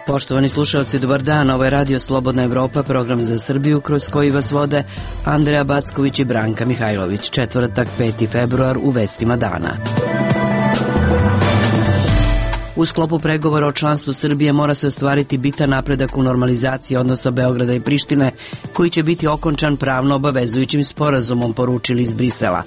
Poštovani slušalci, dobar dan, ovo je Radio Slobodna Evropa, program za Srbiju kroz koji vas vode Andreja Backović i Branka Mihajlović. Četvrtak, 5. februar, u vestima dana. U sklopu pregovora o članstvu Srbije mora se ostvariti bitan napredak u normalizaciji odnosa Beograda i Prištine, koji će biti okončan pravno obavezujućim sporazumom, poručili iz Brisela.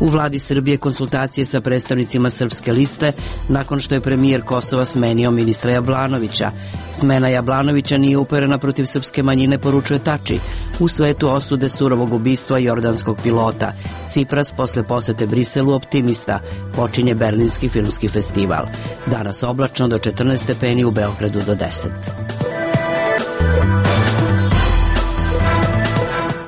U vladi Srbije konsultacije sa predstavnicima Srpske liste nakon što je premijer Kosova smenio ministra Jablanovića. Smena Jablanovića nije uperena protiv srpske manjine, poručuje Tači. U svetu osude surovog ubistva jordanskog pilota. Cipras posle posete Briselu optimista. Počinje Berlinski filmski festival. Danas oblačno do 14 stepeni, u Beogradu do 10.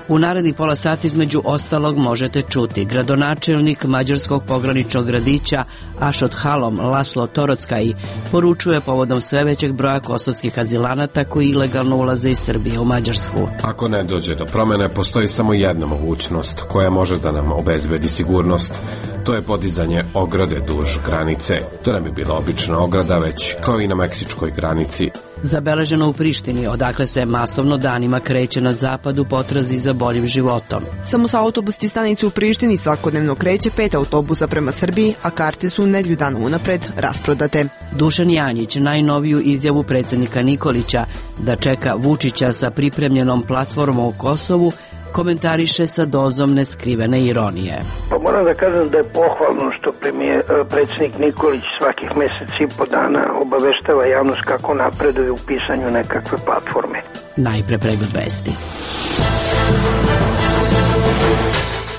U narednih pola sata između ostalog možete čuti: gradonačelnik mađarskog pograničnog gradića Ašot Halom Laslo Torockaj poručuje povodom sve većeg broja kosovskih azilanata koji ilegalno ulaze iz Srbije u Mađarsku. Ako ne dođe do promene, postoji samo jedna mogućnost koja može da nam obezbedi sigurnost. To je podizanje ograde duž granice. To ne bi bila obična ograda, već kao i na meksičkoj granici. Zabeleženo u Prištini, odakle se masovno danima kreće na zapad u potrazi za boljim životom. Samo sa autobuske stanice u Prištini svakodnevno kreće 5 autobusa prema Srbiji, a karte su nedelju dana unapred rasprodate. Dušan Janjić najnoviju izjavu predsjednika Nikolića da čeka Vučića sa pripremljenom platformom u Kosovu komentariše sa dozom neskrivene ironije. Pa moram da kažem da je pohvalno što predsjednik Nikolić svakih mjesec i po dana obaveštava javnost kako napreduje u pisanju nekakve platforme. Najpre pregled vesti.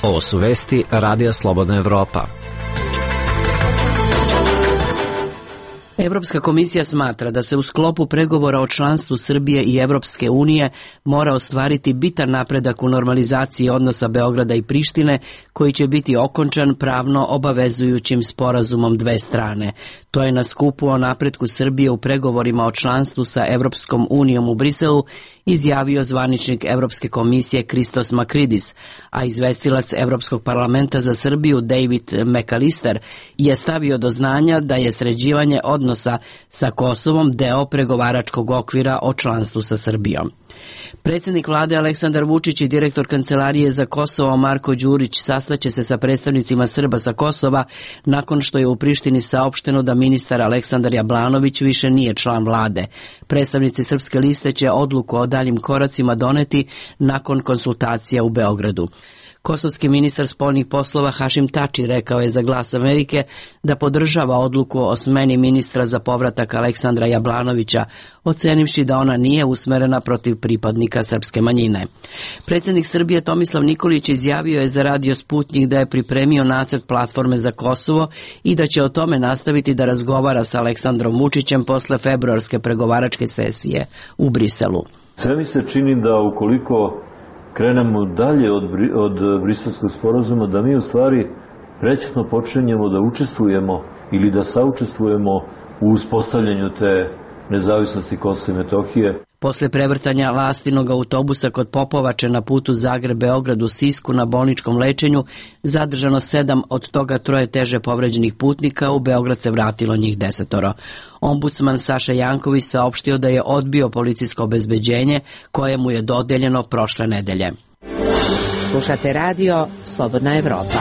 Ovo su vesti Radija Slobodna Evropa. Evropska komisija smatra da se u sklopu pregovora o članstvu Srbije i Evropske unije mora ostvariti bitan napredak u normalizaciji odnosa Beograda i Prištine, koji će biti okončan pravno obavezujućim sporazumom dve strane. To je na skupu o napretku Srbije u pregovorima o članstvu sa Evropskom unijom u Briselu izjavio zvaničnik Evropske komisije Christos Makridis, a izvestilac Evropskog parlamenta za Srbiju David McAllister je stavio do znanja da je sređivanje odnosa sa Kosovom deo pregovaračkog okvira o članstvu sa Srbijom. Predsjednik vlade Aleksandar Vučić i direktor Kancelarije za Kosovo Marko Đurić sastaće se sa predstavnicima Srba sa Kosova nakon što je u Prištini saopšteno da ministar Aleksandar Jablanović više nije član vlade. Predstavnici Srpske liste će odluku o daljim koracima doneti nakon konsultacija u Beogradu. Kosovski ministar spoljnih poslova Hašim Tači rekao je za Glas Amerike da podržava odluku o smeni ministra za povratak Aleksandra Jablanovića, ocenivši da ona nije usmerena protiv pripadnika srpske manjine. Predsjednik Srbije Tomislav Nikolić izjavio je za Radio Sputnjik da je pripremio nacrt platforme za Kosovo i da će o tome nastaviti da razgovara sa Aleksandrom Vučićem posle februarske pregovaračke sesije u Briselu. Sve mi se čini da ukoliko krenemo dalje od Briselskog sporazuma, da mi u stvari prećutno počinjemo da učestvujemo ili da saučestvujemo u uspostavljanju te nezavisnosti Kosova i Metohije. Posle prevrtanja Lastinog autobusa kod Popovače na putu Zagreb-Beograd u Sisku na bolničkom lečenju zadržano 7, od toga 3 teže povređenih putnika, u Beograd se vratilo njih 10. Ombudsman Saša Janković saopštio da je odbio policijsko obezbeđenje koje mu je dodeljeno prošle nedelje. Slušate radio Slobodna Evropa.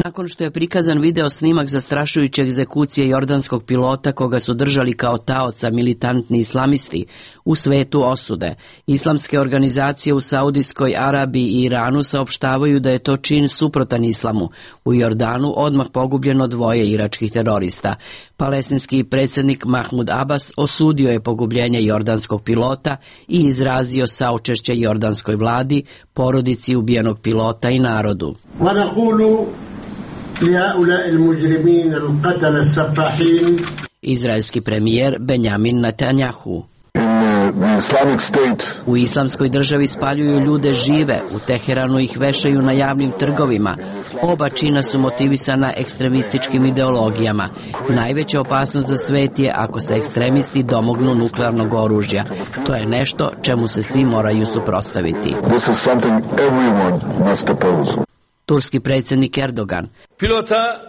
Nakon što je prikazan video snimak zastrašujuće egzekucije jordanskog pilota koga su držali kao taoca militantni islamisti, u svetu osude. Islamske organizacije u Saudijskoj Arabiji i Iranu saopštavaju da je to čin suprotan islamu. U Jordanu odmah pogubljeno 2 iračkih terorista. Palestinski predsjednik Mahmud Abbas osudio je pogubljenje jordanskog pilota i izrazio saučešće jordanskoj vladi, porodici ubijenog pilota i narodu. Izraelski premijer Benjamin Netanjahu. U islamskoj državi spaljuju ljude žive, u Teheranu ih vešaju na javnim trgovima, Oba čina su motivisana ekstremističkim ideologijama. Najveća opasnost za svet je ako se ekstremisti domognu nuklearnog oružja. To je nešto čemu se svi moraju suprotstaviti. Turski predsjednik Erdogan. Pilota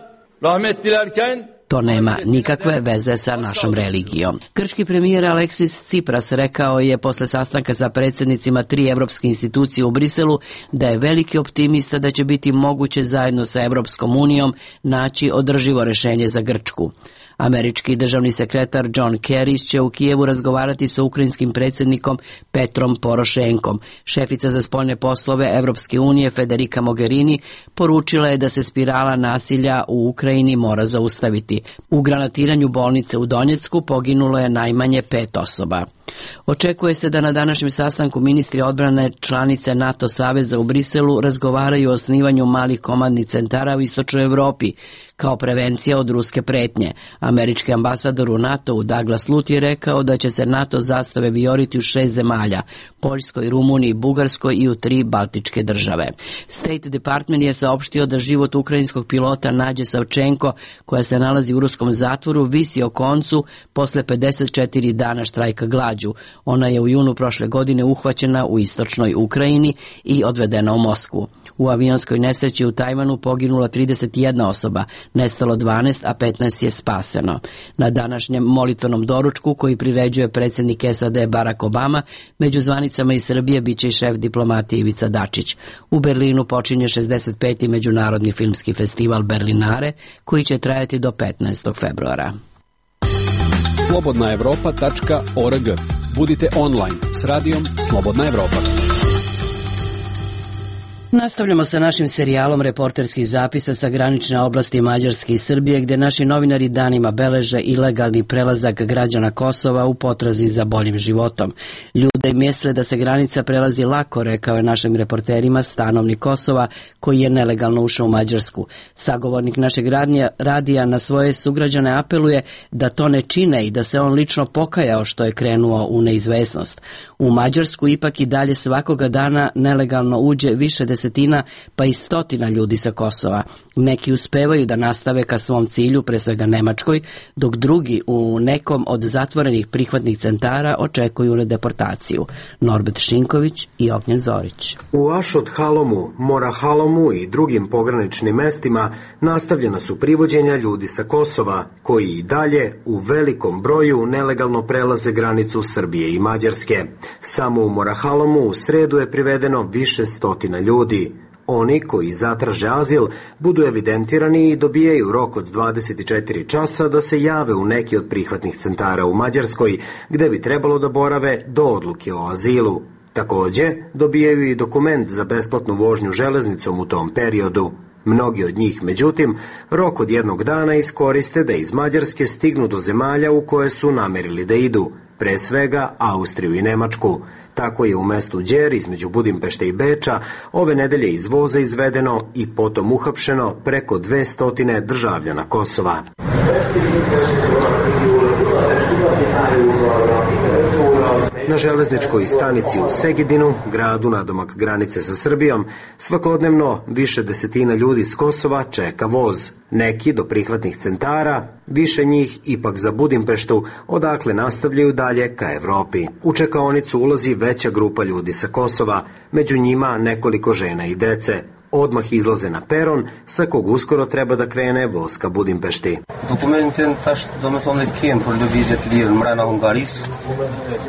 rahmet dilerken to nema nikakve veze sa našom religijom. Grčki premijer Aleksis Tsipras rekao je posle sastanka sa predsjednicima 3 evropske institucije u Briselu da je veliki optimista da će biti moguće zajedno sa Evropskom unijom naći održivo rešenje za Grčku. Američki državni sekretar John Kerry će u Kijevu razgovarati sa ukrajinskim predsjednikom Petrom Porošenkom. Šefica za spoljne poslove Evropske unije Federica Mogherini poručila je da se spirala nasilja u Ukrajini mora zaustaviti. U granatiranju bolnice u Donjecku poginulo je najmanje 5 osoba. Očekuje se da na današnjem sastanku ministri odbrane članice NATO saveza u Briselu razgovaraju o osnivanju malih komandnih centara u istočnoj Evropi kao prevencija od ruske pretnje. Američki ambasador u NATO-u Douglas Lut je rekao da će se NATO zastave vijoriti u 6 zemalja, Poljskoj, Rumuniji, Bugarskoj i u 3 baltičke države. State Department je saopštio da život ukrajinskog pilota Nađe Savčenko, koja se nalazi u ruskom zatvoru, visi o koncu posle 54 dana štrajka glađu. Ona je u junu prošle godine uhvaćena u istočnoj Ukrajini i odvedena u Moskvu. U avionskoj nesreći u Tajvanu poginula 31 osoba, nestalo 12, a 15 je spaseno. Na današnjem molitvenom doručku koji priređuje predsjednik SAD Barack Obama, među zvanicama iz Srbije biće i šef diplomatije Ivica Dačić. U Berlinu počinje 65. Međunarodni filmski festival Berlinare, koji će trajati do 15. februara. Slobodnaevropa.org. Budite online s radijom Slobodna Evropa. Nastavljamo sa našim serijalom reporterskih zapisa sa granične oblasti Mađarske i Srbije, gde naši novinari danima beleže ilegalni prelazak građana Kosova u potrazi za boljim životom. Ljude misle da se granica prelazi lako, rekao je našim reporterima stanovnik Kosova koji je nelegalno ušao u Mađarsku. Sagovornik našeg radija na svoje sugrađane apeluje da to ne čine i da se on lično pokajao što je krenuo u neizvesnost. U Mađarsku ipak i dalje svakoga dana nelegalno uđe više desetina pa i stotina ljudi sa Kosova. Neki uspevaju da nastave ka svom cilju, pre svega Nemačkoj, dok drugi u nekom od zatvorenih prihvatnih centara očekuju na deportaciju. Norbert Šinković i Ognjen Zorić. U Ašot Halomu, Mora Halomu i drugim pograničnim mestima nastavljena su privođenja ljudi sa Kosova, koji i dalje u velikom broju nelegalno prelaze granicu Srbije i Mađarske. Samo u Morahalomu u sredu je privedeno više stotina ljudi. Oni koji zatraže azil budu evidentirani i dobijaju rok od 24 časa da se jave u neki od prihvatnih centara u Mađarskoj, gde bi trebalo da borave do odluke o azilu. Takođe, dobijaju i dokument za besplatnu vožnju železnicom u tom periodu. Mnogi od njih, međutim, rok od jednog dana iskoriste da iz Mađarske stignu do zemalja u koje su namerili da idu, pre svega Austriju i Nemačku. Tako je u mestu Đer između Budimpešte i Beča ove nedelje iz voza izvedeno i potom uhapšeno preko 200 državljana Kosova. Na železničkoj stanici u Segedinu, gradu nadomak granice sa Srbijom, svakodnevno više desetina ljudi s Kosova čeka voz. Neki do prihvatnih centara, više njih ipak za Budimpeštu, odakle nastavljaju dalje ka Evropi. U čekaonicu ulazi veća grupa ljudi sa Kosova, među njima nekoliko žena i dece. Odmah izlaze na peron, sa kog uskoro treba da krene voz ka Budimpešti.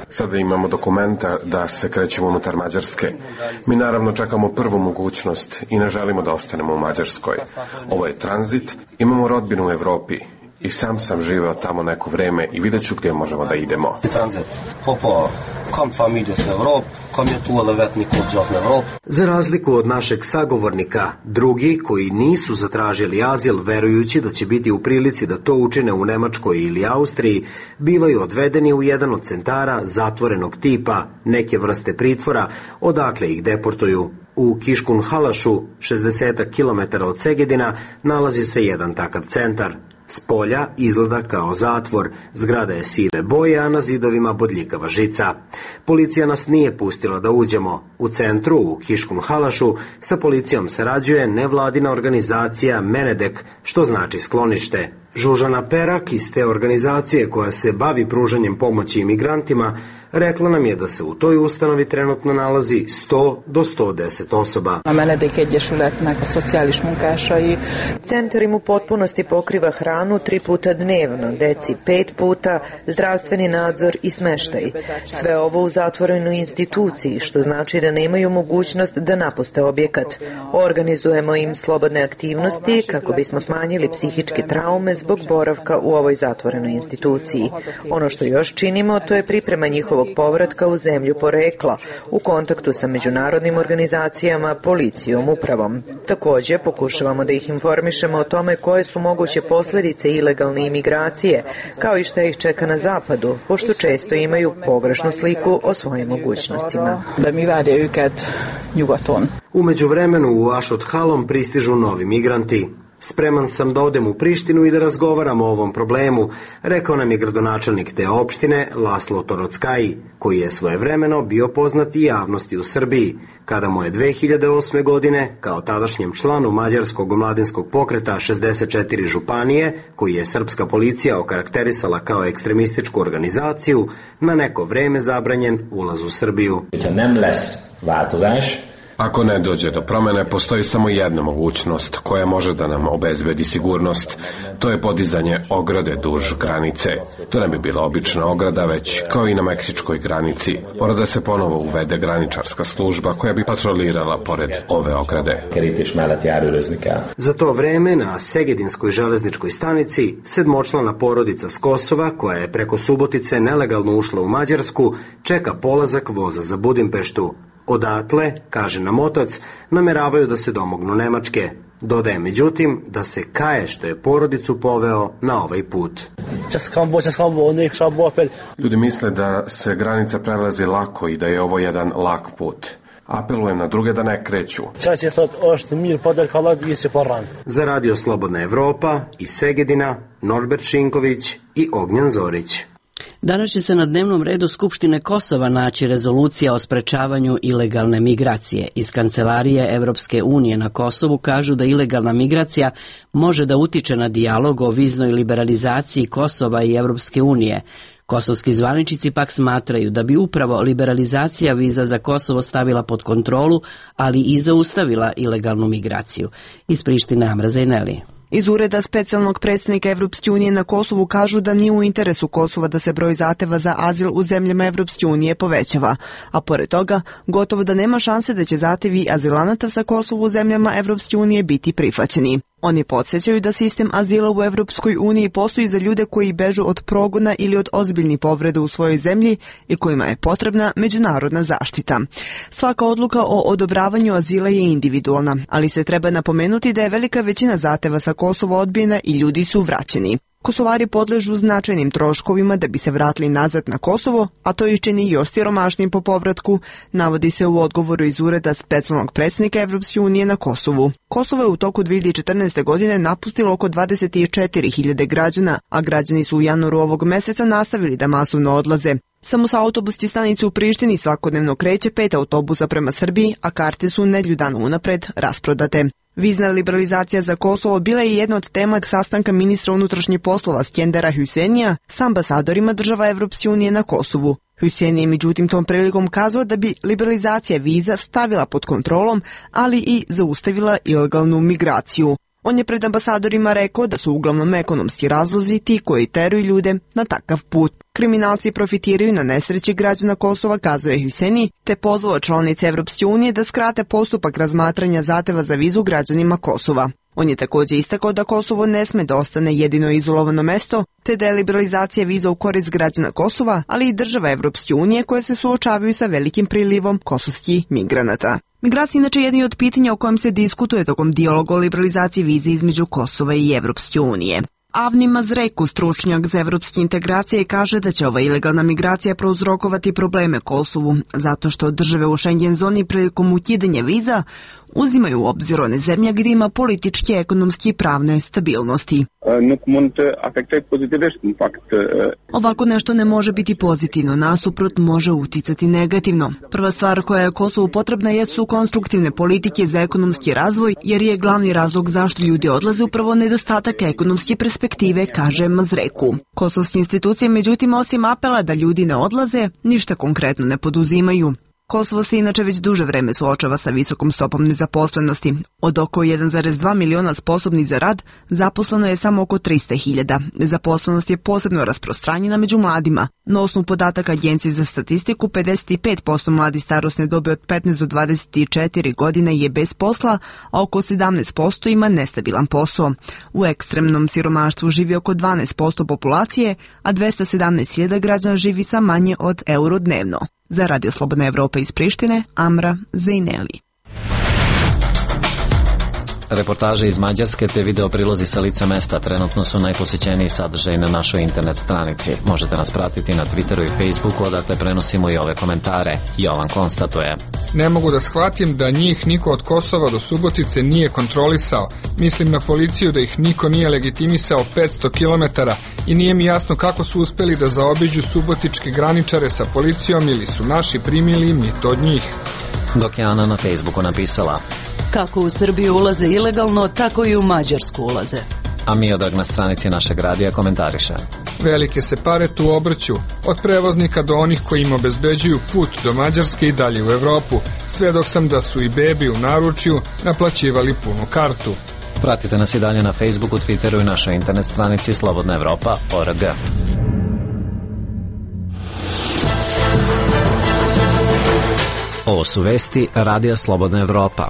Sada imamo dokumenta da se krećemo unutar Mađarske. Mi naravno čekamo prvu mogućnost i ne želimo da ostanemo u Mađarskoj. Ovo je tranzit, imamo rodbinu u Evropi. I sam živeo tamo neko vreme i vidjet ću gdje možemo da idemo. Za razliku od našeg sagovornika, drugi koji nisu zatražili azil verujući da će biti u prilici da to učine u Nemačkoj ili Austriji, bivaju odvedeni u jedan od centara zatvorenog tipa, neke vrste pritvora, odakle ih deportuju. U Kiškun Halašu, 60 km od Segedina, nalazi se jedan takav centar. S polja izgleda kao zatvor, zgrada je sive boje, a na zidovima bodljikava žica. Policija nas nije pustila da uđemo. U centru, u Kiškum Halašu, sa policijom sarađuje nevladina organizacija Menedek, što znači sklonište. Žužana Perak iz te organizacije koja se bavi pružanjem pomoći imigrantima rekla nam je da se u toj ustanovi trenutno nalazi 100 do 110 osoba. Centar im u potpunosti pokriva hranu 3 puta dnevno, deci 5 puta, zdravstveni nadzor i smeštaj. Sve ovo u zatvorenoj instituciji, što znači da nemaju mogućnost da napuste objekat. Organizujemo im slobodne aktivnosti kako bismo smanjili psihičke traume zbog boravka u ovoj zatvorenoj instituciji. Ono što još činimo, to je priprema njihovog povratka u zemlju porekla, u kontaktu sa međunarodnim organizacijama, policijom, upravom. Također, pokušavamo da ih informišemo o tome koje su moguće posljedice ilegalne imigracije, kao i šta ih čeka na zapadu, pošto često imaju pogrešnu sliku o svojim mogućnostima. U međuvremenu u Ašot Halom pristižu novi migranti. Spreman sam da odem u Prištinu i da razgovaramo o ovom problemu, rekao nam je gradonačelnik te opštine Laslo Torockaji, koji je svojevremeno bio poznat i javnosti u Srbiji, kada mu je 2008. godine, kao tadašnjem članu Mađarskog omladinskog pokreta 64 županije, koji je srpska policija okarakterisala kao ekstremističku organizaciju, na neko vreme zabranjen ulaz u Srbiju. Ako ne dođe do promene, postoji samo jedna mogućnost koja može da nam obezbedi sigurnost. To je podizanje ograde duž granice. To ne bi bila obična ograda, već kao i na meksičkoj granici. Mora da se ponovo uvede graničarska služba koja bi patrolirala pored ove ograde. Za to vreme na Segedinskoj železničkoj stanici 7-člana porodica s Kosova, koja je preko Subotice nelegalno ušla u Mađarsku, čeka polazak voza za Budimpeštu. Odatle, kaže nam otac, nameravaju da se domognu Nemačke. Dodaje međutim da se kaje što je porodicu poveo na ovaj put. Ljudi misle da se granica prelazi lako i da je ovo jedan lak put. Apelujem na druge da ne kreću. Za Radio Slobodna Evropa iz Segedina, Norbert Šinković i Ognjan Zorić. Danas će se na dnevnom redu Skupštine Kosova naći rezolucija o sprečavanju ilegalne migracije. Iz Kancelarije Evropske unije na Kosovu kažu da ilegalna migracija može da utiče na dijalog o viznoj liberalizaciji Kosova i Evropske unije. Kosovski zvaničnici pak smatraju da bi upravo liberalizacija viza za Kosovo stavila pod kontrolu, ali i zaustavila ilegalnu migraciju. Iz Prištine Amra Zajneli. Iz ureda specijalnog predstavnika Evropske unije na Kosovu kažu da nije u interesu Kosova da se broj zahteva za azil u zemljama Evropske unije povećava, a pored toga gotovo da nema šanse da će zahtevi azilanata sa Kosovu u zemljama Evropske unije biti prihvaćeni. Oni podsjećaju da sistem azila u Evropskoj uniji postoji za ljude koji bežu od progona ili od ozbiljnih povreda u svojoj zemlji i kojima je potrebna međunarodna zaštita. Svaka odluka o odobravanju azila je individualna, ali se treba napomenuti da je velika većina zahteva sa Kosova odbijena i ljudi su vraćeni. Kosovari podležu značajnim troškovima da bi se vratili nazad na Kosovo, a to ih čini još siromašnim po povratku, navodi se u odgovoru iz ureda specijalnog predstavnika Evropske unije na Kosovu. Kosovo je u toku 2014. godine napustilo oko 24.000 građana, a građani su u januaru ovog meseca nastavili da masovno odlaze. Samo sa autobuske stanice u Prištini svakodnevno kreće 5 autobusa prema Srbiji, a karte su nedelju dana unapred rasprodate. Vizna liberalizacija za Kosovo bila je jedna od tema sastanka ministra unutrašnjih poslova Skendera Hüsenija s ambasadorima država Evropske unije na Kosovu. Hüseyin je međutim tom prilikom kazao da bi liberalizacija viza stavila pod kontrolom, ali i zaustavila ilegalnu migraciju. On je pred ambasadorima rekao da su uglavnom ekonomski razlozi ti koji teruju ljude na takav put. Kriminalci profitiraju na nesreći građana Kosova, kazuje Hüseyin, te pozvao članice Evropske unije da skrate postupak razmatranja zahteva za vizu građanima Kosova. On je također istakao da Kosovo ne sme da ostane jedino izolovano mesto, te da je liberalizacija viza u korist građana Kosova, ali i država Evropske unije koje se suočavaju sa velikim prilivom kosovskih migranata. Migracija inače je jedno od pitanja o kojem se diskutuje tokom dijaloga o liberalizaciji vize između Kosova i Evropske unije. Avni Mazreku, stručnjak za evropske integracije, kaže da će ova ilegalna migracija prouzrokovati probleme Kosovu, zato što države u Schengen zoni prilikom ukidanja viza uzimaju u obzir one zemlje gdje ima političke, ekonomske i pravne stabilnosti. Ovako nešto ne može biti pozitivno, nasuprot može uticati negativno. Prva stvar koja je Kosovu potrebna jesu konstruktivne politike za ekonomski razvoj, jer je glavni razlog zašto ljudi odlaze upravo nedostatak ekonomske perspektive, kaže Mazreku. Kosovske institucije, međutim, osim apela da ljudi ne odlaze, ništa konkretno ne poduzimaju. Kosovo se inače već duže vreme suočava sa visokom stopom nezaposlenosti. Od oko 1,2 miliona sposobnih za rad, zaposleno je samo oko 300.000. Nezaposlenost je posebno rasprostranjena među mladima. Na osnovu podataka Agencije za statistiku, 55% mladi starosne dobi od 15 do 24 godine je bez posla, a oko 17% ima nestabilan posao. U ekstremnom siromaštvu živi oko 12% populacije, a 217.000 građana živi sa manje od euro dnevno. Za Radio Slobodna Evropa iz Prištine, Amra Zejneli. Reportaže iz Mađarske te video prilozi sa lica mesta trenutno su najposećeniji sadržaj na našoj internet stranici. Možete nas pratiti na Twitteru i Facebooku, odakle prenosimo i ove komentare. Jovan konstatuje: Ne mogu da shvatim da njih niko od Kosova do Subotice nije kontrolisao. Mislim na policiju da ih niko nije legitimisao 500 km i nije mi jasno kako su uspeli da zaobiđu subotičke graničare sa policijom ili su naši primili mito od njih. Dok je Ana na Facebooku napisala: Kako u Srbiju ulaze ilegalno, tako i u Mađarsku ulaze. A Miodrag na stranici našeg radija komentariše: Velike se pare tu obrću, od prevoznika do onih koji im obezbeđuju put do Mađarske i dalje u Evropu, sve dok sam da su i bebi u naručju naplaćivali punu kartu. Pratite nas i dalje na Facebooku, Twitteru i našoj internet stranici slobodnaevropa.org. Ovo su vesti Radija Slobodna Evropa.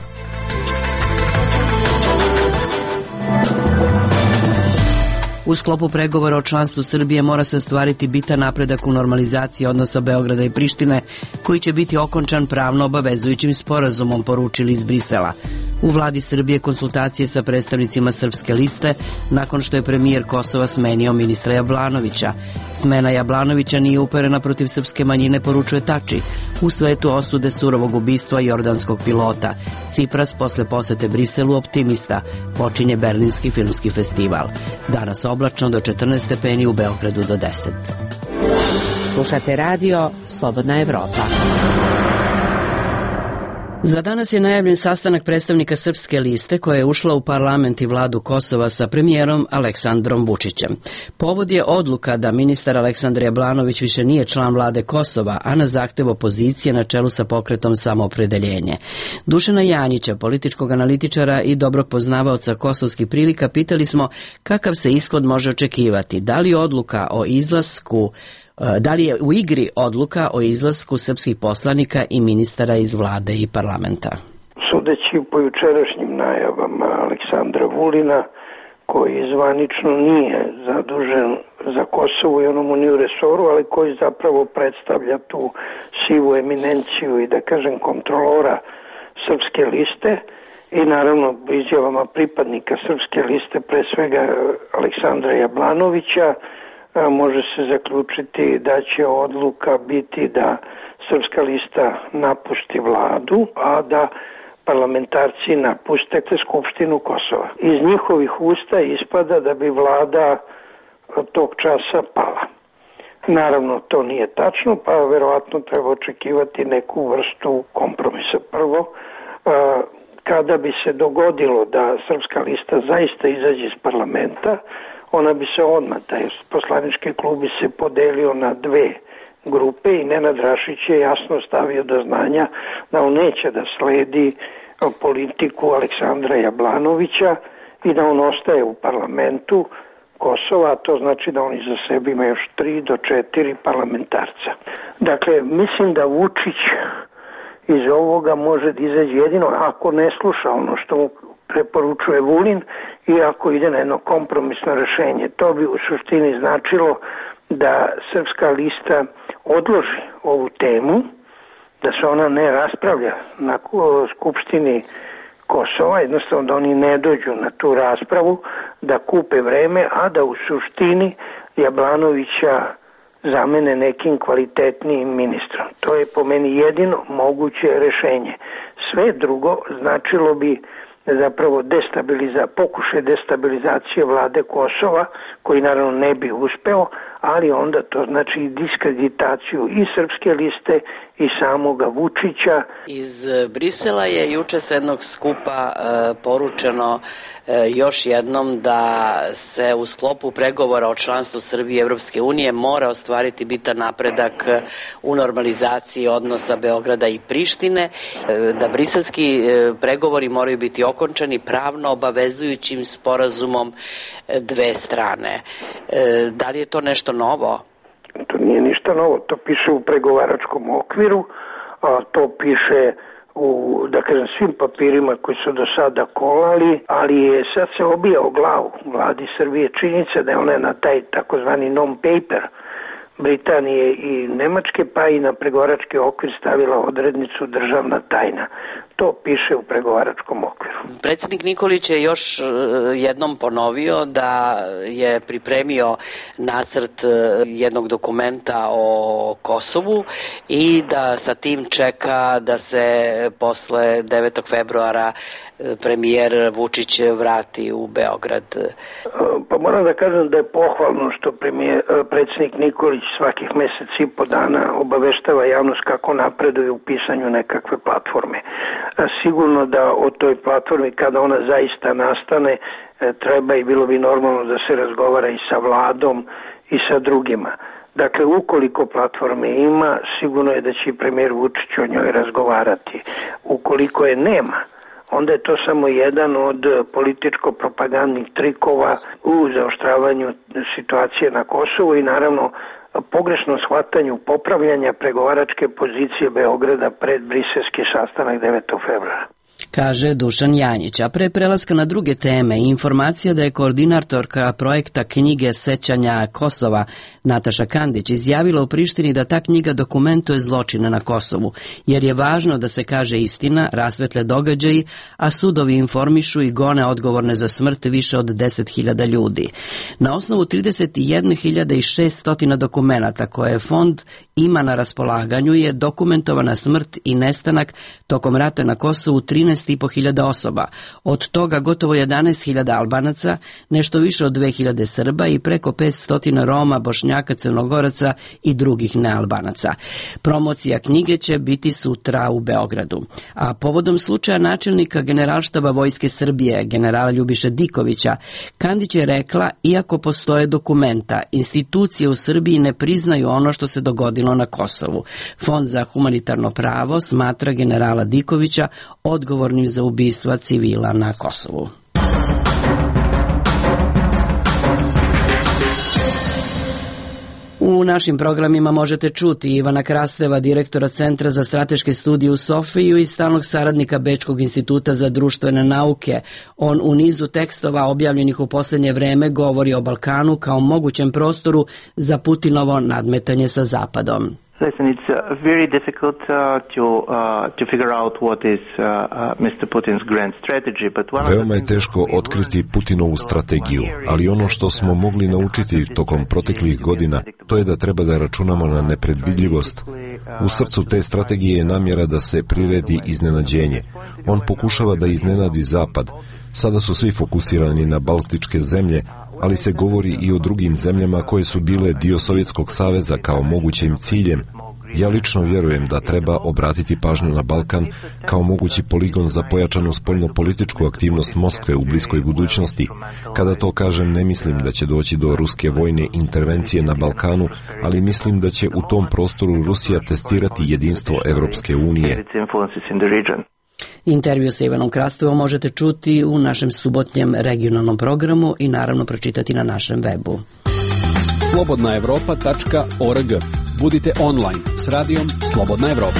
U sklopu pregovora o članstvu Srbije mora se ostvariti bitan napredak u normalizaciji odnosa Beograda i Prištine, koji će biti okončan pravno obavezujućim sporazumom, poručili iz Brisela. U vladi Srbije konsultacije sa predstavnicima Srpske liste nakon što je premijer Kosova smenio ministra Jablanovića. Smena Jablanovića nije uperena protiv srpske manjine, poručuje Tači. U svetu osude surovog ubistva jordanskog pilota. Cipras posle posete Briselu optimista. Počinje Berlinski filmski festival. Danas oblačno do 14 stepeni, u Beogradu do 10. Slušate radio Slobodna Evropa. Za danas je najavljen sastanak predstavnika Srpske liste koja je ušla u parlament i vladu Kosova sa premijerom Aleksandrom Vučićem. Povod je odluka da ministar Aleksandar Jablanović više nije član vlade Kosova, a na zahtev opozicije na čelu sa pokretom Samoopredeljenje. Dušana Janjića, političkog analitičara i dobrog poznavaoca kosovskih prilika, pitali smo kakav se ishod može očekivati. Da li odluka o izlasku Da li je u igri odluka o izlasku srpskih poslanika i ministara iz vlade i parlamenta? Sudeći po jučerašnjim najavama Aleksandra Vulina, koji zvanično nije zadužen za Kosovo i ono mu nije u resoru, ali koji zapravo predstavlja tu sivu eminenciju i da kažem kontrolora Srpske liste, i naravno izjavama pripadnika Srpske liste, pre svega Aleksandra Jablanovića, može se zaključiti da će odluka biti da Srpska lista napusti vladu, a da parlamentarci napuste Skupštinu Kosova. Iz njihovih usta ispada da bi vlada tog časa pala. Naravno, to nije tačno, pa verovatno treba očekivati neku vrstu kompromisa. Prvo, kada bi se dogodilo da Srpska lista zaista izađe iz parlamenta, ona bi se odmah, taj poslanički klub bi se podelio na dve grupe i Nenad Rašić je jasno stavio do znanja da on neće da sledi politiku Aleksandra Jablanovića i da on ostaje u parlamentu Kosova, a to znači da on iza sebe ima još 3 do 4 parlamentarca. Dakle, mislim da Vučić iz ovoga može da izađe jedino ako ne sluša ono što mu preporučuje Vulin i ako ide na jedno kompromisno rešenje. To bi u suštini značilo da Srpska lista odloži ovu temu, da se ona ne raspravlja na Skupštini Kosova, jednostavno da oni ne dođu na tu raspravu, da kupe vreme, a da u suštini Jablanovića zamene nekim kvalitetnijim ministrom. To je po meni jedino moguće rešenje. Sve drugo značilo bi zapravo pokušaj destabilizacije vlade Kosova, koji naravno ne bi uspeo, ali onda to znači i diskreditaciju i srpske liste i samoga Vučića. Iz Brisela je juče s jednog skupa poručeno još jednom da se u sklopu pregovora o članstvu Srbije i Evropske unije mora ostvariti bitan napredak u normalizaciji odnosa Beograda i Prištine, da briselski pregovori moraju biti okončani pravno obavezujućim sporazumom dve strane. Da li je to nešto novo? To nije ništa novo, to piše u pregovaračkom okviru, a to piše u, da kažem, svim papirima koji su do sada kolali, ali sad se obija o glavu vladi Srbije činjenica da je ona na taj takozvani non-paper Britanije i Nemačke, pa i na pregovarački okvir stavila odrednicu državna tajna. To piše u pregovaračkom okviru. Predsjednik Nikolić je još jednom ponovio da je pripremio nacrt jednog dokumenta o Kosovu i da sa tim čeka da se posle 9. februara premijer Vučić vrati u Beograd. Pa moram da kažem da je pohvalno što predsjednik Nikolić svakih mesec i po dana obaveštava javnost kako napreduje u pisanju nekakve platforme. Sigurno da o toj platformi, kada ona zaista nastane, treba i bilo bi normalno da se razgovara i sa vladom i sa drugima. Dakle, ukoliko platforme ima, sigurno je da će i premijer Vučić o njoj razgovarati. Ukoliko je nema, onda je to samo jedan od političko-propagandnih trikova u zaoštravanju situacije na Kosovu i naravno pogrešnom shvatanju popravljanja pregovaračke pozicije Beograda pred briselski sastanak 9. februara. Kaže Dušan Janjić, a pre prelaska na druge teme i informacija da je koordinatorka projekta knjige Sećanja Kosova Nataša Kandić izjavila u Prištini da ta knjiga dokumentuje zločine na Kosovu, jer je važno da se kaže istina, rasvetle događaji, a sudovi informišu i gone odgovorne za smrt više od 10.000 ljudi. Na osnovu 31.600 dokumenata koje fond ima na raspolaganju je dokumentovana smrt i nestanak tokom rata na Kosovu 13.500 osoba, od toga gotovo 11.000 Albanaca, nešto više od 2.000 Srba i preko 500 Roma, Bošnjaka, Crnogoraca i drugih nealbanaca. Promocija knjige će biti sutra u Beogradu. A povodom slučaja načelnika Generalštaba Vojske Srbije, generala Ljubiše Dikovića, Kandić je rekla, iako postoje dokumenta, institucije u Srbiji ne priznaju ono što se dogodilo na Kosovu. Fond za humanitarno pravo smatra generala Dikovića odgovornim za ubistva civila na Kosovu. U našim programima možete čuti Ivana Krasteva, direktora Centra za strateške studije u Sofiju i stalnog saradnika Bečkog instituta za društvene nauke. On u nizu tekstova objavljenih u posljednje vreme govori o Balkanu kao mogućem prostoru za Putinovo nadmetanje sa Zapadom. Listen, it's very difficult to figure out what is Mr. Putin's grand strategy, but Veoma je teško otkriti Putinovu strategiju, ali ono što smo mogli naučiti tokom proteklih godina, to je da treba da računamo na nepredvidljivost. U srcu te strategije je namjera da se priredi iznenađenje. On pokušava da iznenadi Zapad. Sada su svi fokusirani na baltičke zemlje, ali se govori i o drugim zemljama koje su bile dio Sovjetskog saveza kao mogućim ciljem. Ja lično vjerujem da treba obratiti pažnju na Balkan kao mogući poligon za pojačanu spoljno-političku aktivnost Moskve u bliskoj budućnosti. Kada to kažem, ne mislim da će doći do ruske vojne intervencije na Balkanu, ali mislim da će u tom prostoru Rusija testirati jedinstvo Evropske unije. Intervju sa Ivanom Krastevom možete čuti u našem subotnjem regionalnom programu i naravno pročitati na našem webu. slobodnaevropa.org. Budite online s radijom Slobodna Evropa.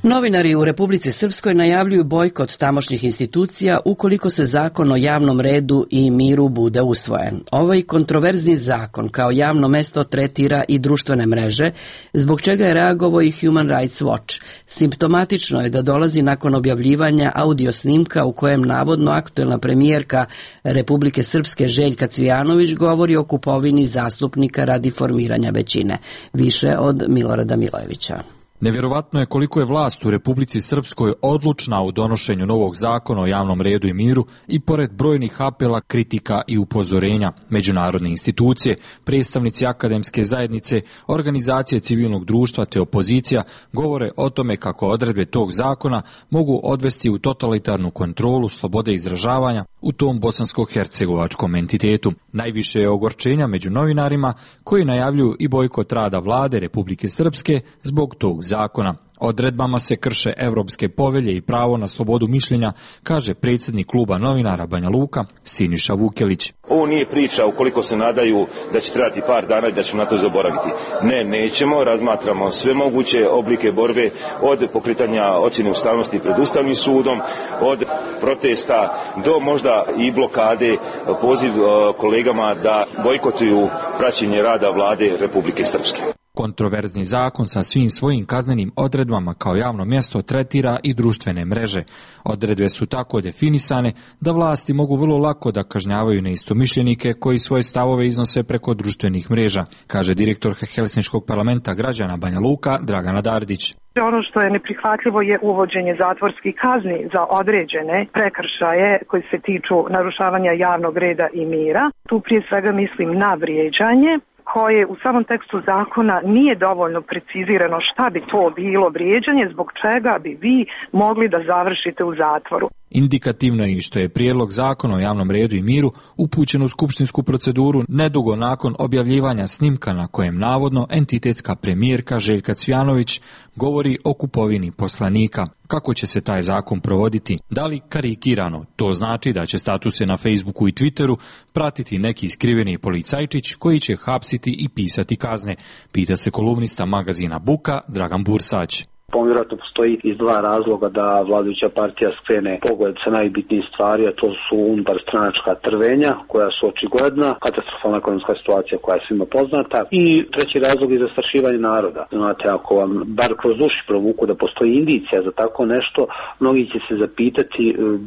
Novinari u Republici Srpskoj najavljuju bojkot tamošnjih institucija ukoliko se zakon o javnom redu i miru bude usvojen. Ovaj kontroverzni zakon kao javno mesto tretira i društvene mreže, zbog čega je reagovao i Human Rights Watch. Simptomatično je da dolazi nakon objavljivanja audio snimka u kojem navodno aktuelna premijerka Republike Srpske Željka Cvijanović govori o kupovini zastupnika radi formiranja većine. Više od Milorada Milojevića. Nevjerovatno je koliko je vlast u Republici Srpskoj odlučna u donošenju novog zakona o javnom redu i miru i pored brojnih apela, kritika i upozorenja. Međunarodne institucije, predstavnici akademske zajednice, organizacije civilnog društva te opozicija govore o tome kako odredbe tog zakona mogu odvesti u totalitarnu kontrolu slobode izražavanja u tom bosansko-hercegovačkom entitetu. Najviše je ogorčenja među novinarima koji najavljuju i bojkot rada vlade Republike Srpske zbog tog zakona. Odredbama se krše evropske povelje i pravo na slobodu mišljenja, kaže predsjednik kluba novinara Banja Luka Siniša Vukelić. Ovo nije priča ukoliko se nadaju da će trebati par dana i da ćemo na to zaboraviti. Ne, nećemo, razmatramo sve moguće oblike borbe od pokretanja ocjene ustavnosti pred Ustavnim sudom, od protesta do možda i blokade, poziv kolegama da bojkotuju praćenje rada vlade Republike Srpske. Kontroverzni zakon sa svim svojim kaznenim odredbama kao javno mjesto tretira i društvene mreže. Odredbe su tako definisane da vlasti mogu vrlo lako da kažnjavaju neistomišljenike koji svoje stavove iznose preko društvenih mreža, kaže direktor Helsinškog parlamenta građana Banja Luka Dragana Dardić. Ono što je neprihvatljivo je uvođenje zatvorskih kazni za određene prekršaje koji se tiču narušavanja javnog reda i mira. Tu prije svega mislim na vrijeđanje, koje u samom tekstu zakona nije dovoljno precizirano šta bi to bilo vrijeđanje, zbog čega bi vi mogli da završite u zatvoru. Indikativno je i što je prijedlog zakona o javnom redu i miru upućen u skupštinsku proceduru nedugo nakon objavljivanja snimka na kojem navodno entitetska premijerka Željka Cvijanović govori o kupovini poslanika. Kako će se taj zakon provoditi? Da li karikirano? To znači da će statuse na Facebooku i Twitteru pratiti neki skriveni policajčić koji će hapsiti i pisati kazne, pita se kolumnista magazina Buka Dragan Bursać. Vjerojatno postoji iz dva razloga da vladajuća partija skrene pogled sa najbitnijih stvari, a to su unutar stranačka trvenja koja su očigledna, katastrofalna ekonomska situacija koja je svima poznata i treći razlog je zastrašivanje naroda. Znate, ako vam bar kroz uši provuku da postoji indicija za tako nešto, mnogi će se zapitati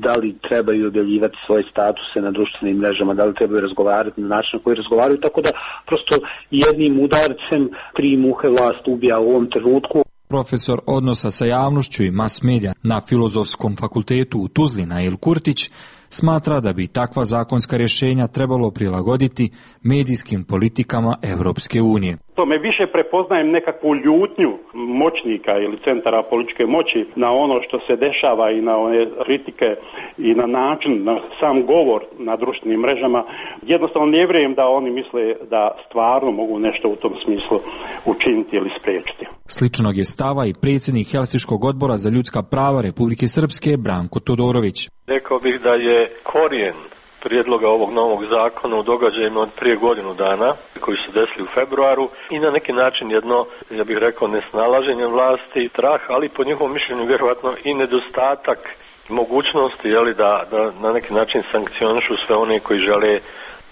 da li trebaju objavljivati svoje statuse na društvenim mrežama, da li trebaju razgovarati na način na koji razgovaraju, tako da prosto jednim udarcem 3 muhe vlast ubija u ovom trenutku. Profesor odnosa sa javnošću i mas medija na Filozofskom fakultetu u Tuzli Nail Kurtić smatra da bi takva zakonska rješenja trebalo prilagoditi medijskim politikama Europske unije. Me više prepoznajem nekakvu ljutnju moćnika ili centara političke moći na ono što se dešava i na one kritike i na način, na sam govor na društvenim mrežama. Jednostavno ne vjerujem da oni misle da stvarno mogu nešto u tom smislu učiniti ili spriječiti. Sličnog je stava i predsjednik Helsinškog odbora za ljudska prava Republike Srpske Branko Todorović. Rekao bih da je korijen prijedloga ovog novog zakona u događajima od prije godinu dana koji su desili u februaru i na neki način jedno, ja bih rekao, nesnalaženje vlasti, strah, ali po njihovom mišljenju vjerojatno i nedostatak mogućnosti da na neki način sankcionišu sve one koji žele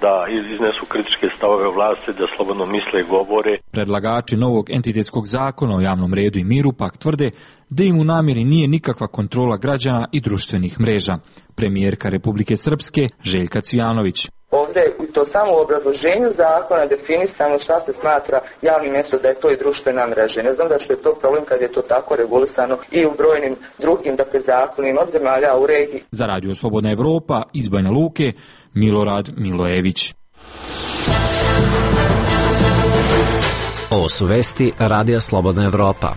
da iznesu kritičke stavove vlasti, da slobodno misle i govore. Predlagači novog entitetskog zakona o javnom redu i miru pak tvrde da im u namjeri nije nikakva kontrola građana i društvenih mreža. Premijerka Republike Srpske Željka Cvijanović. Ovdje je to samo u obrazloženju zakona definisano šta se smatra javnim mjestom, da je to i društvena mreža. Ne znam da što je to problem kad je to tako regulisano i u brojnim drugim zakonima od zemalja u regiji. Za Radio Slobodna Evropa iz Banja Luke Milorad Milojević. Ovo su vesti Radija Slobodna Evropa.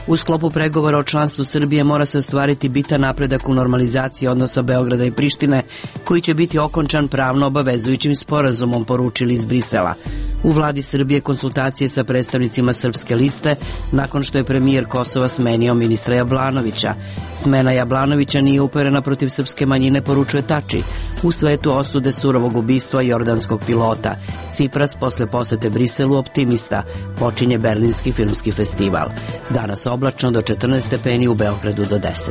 U sklopu pregovora o članstvu Srbije mora se ostvariti bitan napredak u normalizaciji odnosa Beograda i Prištine, koji će biti okončan pravno obavezujućim sporazumom, poručili iz Brisela. U vladi Srbije konsultacije sa predstavnicima Srpske liste nakon što je premijer Kosova smenio ministra Jablanovića. Smena Jablanovića nije uperena protiv srpske manjine, poručuje Tači. U svetu osude surovog ubistva jordanskog pilota. Cipras posle posete Briselu optimista. Počinje Berlinski filmski festival. Danas oblačno do 14 stepeni, u Beogradu do 10.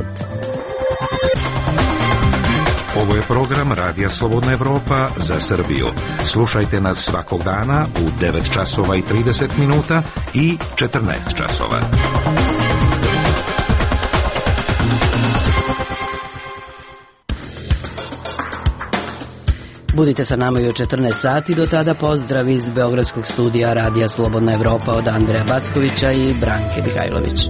Ovo je program Radija Slobodna Evropa za Srbiju. Slušajte nas svakog dana u 9 časova i 30 minuta i 14 časova. Budite sa nama i u 14 sati, do tada pozdrav iz Beogradskog studija Radija Slobodna Evropa od Andreja Backovića i Branke Mihajlović.